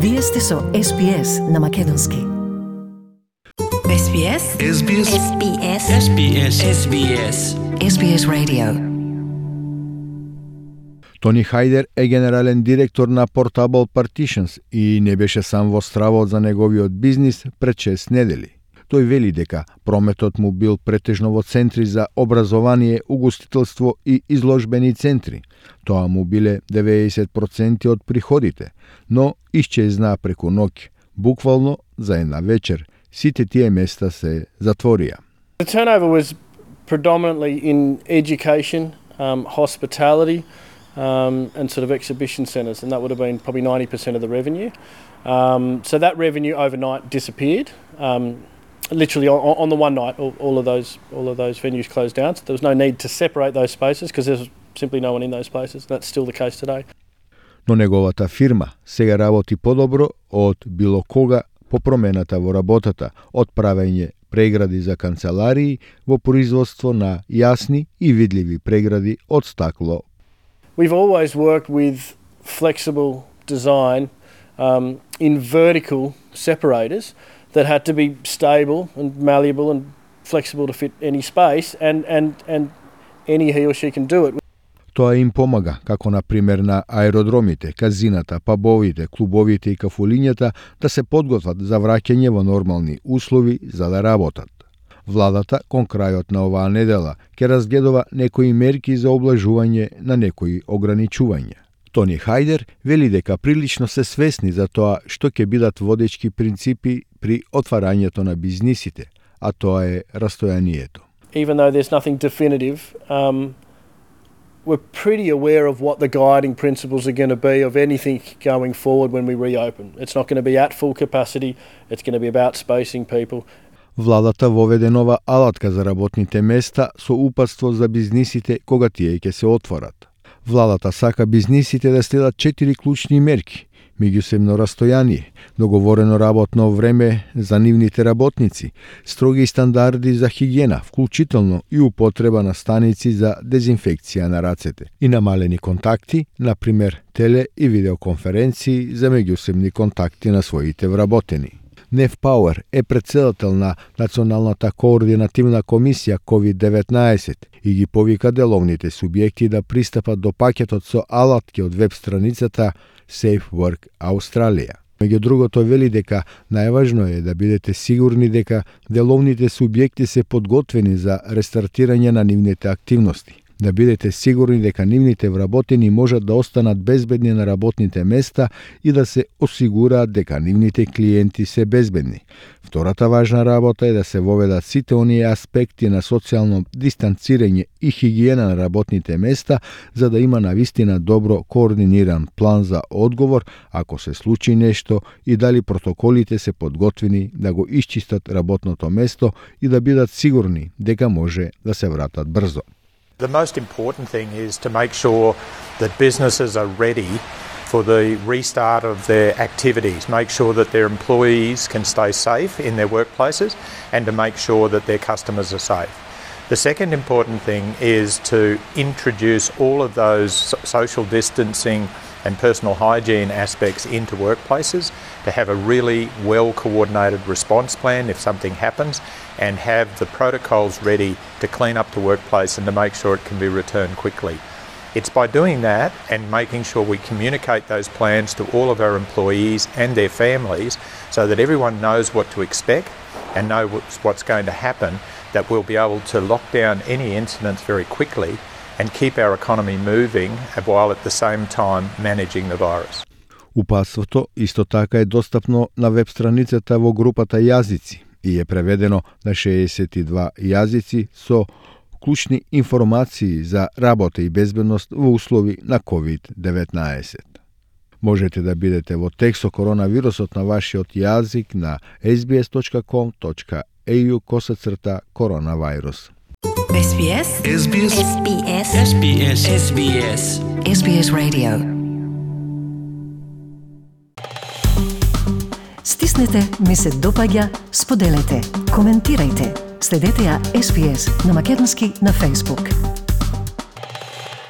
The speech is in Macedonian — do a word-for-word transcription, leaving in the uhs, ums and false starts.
Вие сте со Ес Би Ес на македонски. Ес Би Ес. Ес Би Ес. Ес Би Ес. Ес Би Ес. Ес Би Ес. Ес Би Ес Radio. Тони Хајдер е генерален директор на Portable Partitions и не беше сам во стравот за неговиот бизнис пред шест недели. Тој вели дека прометот му бил претежно во центри за образование, угостителство и изложбени центри. Тоа му биле деветдесет проценти од приходите, но исчезна преку ноќ. Буквално за една вечер сите тие места се затворија. The turnover was predominantly in education, um, hospitality, um, and sort of exhibition centres, and that would have been probably ninety percent of the revenue. Um, so that revenue overnight disappeared. Um, literally on, on the one night, all, all of those all of those venues closed down. So there was no need to separate those spaces because there's simply no one in those places. That's still the case today. Но неговата фирма сега работи подобро од било кога по промената во работата, од правење прегради за канцеларии во производство на јасни и видливи прегради од стакло. We've always worked with flexible design um, in vertical separators that had to be stable and malleable and flexible to fit any space, and, and, and any he or she can do it. Тоа им помага, како на пример на аеродромите, казината, пабовите, клубовите и кафулињата да се подготват за враќање во нормални услови за да работат. Владата кон крајот на оваа недела ќе разгледува некои мерки за облажување на некои ограничувања. Тони Хајдер вели дека прилично се свесни за тоа што ќе бидат водечки принципи при отварањето на бизнисите, а тоа е растојанието. Even though there's nothing definitive, um, we're pretty aware of what the guiding principles are going to be of anything going forward when we reopen. It's not going to be at full capacity, it's going to be about spacing people. Владата воведе нова алатка за работните места со упатство за бизнисите кога тие ќе се отворат. Владата сака бизнисите да следат четири клучни мерки: меѓусебно растојание, договорено работно време за нивните работници, строги стандарди за хигиена, вклучително и употреба на станици за дезинфекција на рацете, и намалени контакти, например теле и видеоконференции за меѓусебни контакти на своите вработени. Нев Пауер е претседател на Националната координативна комисија ковид деветнаесет и ги повика деловните субјекти да пристапат до пакетот со алатки од веб страницата Safe Work Australia. Меѓу другото вели дека најважно е да бидете сигурни дека деловните субјекти се подготвени за рестартирање на нивните активности. Да бидете сигурни дека нивните вработени можат да останат безбедни на работните места и да се осигураат дека нивните клиенти се безбедни. Втората важна работа е да се воведат сите оние аспекти на социјално дистанцирање и хигиена на работните места, за да има навистина добро координиран план за одговор ако се случи нешто и дали протоколите се подготвени да го исчистат работното место и да бидат сигурни дека може да се вратат брзо. The most important thing is to make sure that businesses are ready for the restart of their activities, make sure that their employees can stay safe in their workplaces, and to make sure that their customers are safe. The second important thing is to introduce all of those social distancing and personal hygiene aspects into workplaces, to have a really well-coordinated response plan if something happens, and have the protocols ready to clean up the workplace and to make sure it can be returned quickly. It's by doing that and making sure we communicate those plans to all of our employees and their families so that everyone knows what to expect and knows what's going to happen, that we'll be able to lock down any incidents very quickly and keep our economy moving while at the same time managing the virus. Упатството исто така е достапно на веб страницата во групата јазици и е преведено на шеесет и два јазици со клучни информации за работа и безбедност во услови на ковид деветнаесет. Можете да бидете во текст со коронавирусот на вашиот јазик на ес би ес точка ком точка ей ю косацрта коронавирус. Ес Би Ес. Ес Би Ес. Ес Би Ес. Ес Би Ес. Ес Би Ес. Ес Би Ес Radio. Стиснете, ми се допаѓа, споделете, коментирајте. Следете ја Ес Би Ес на македонски на Facebook.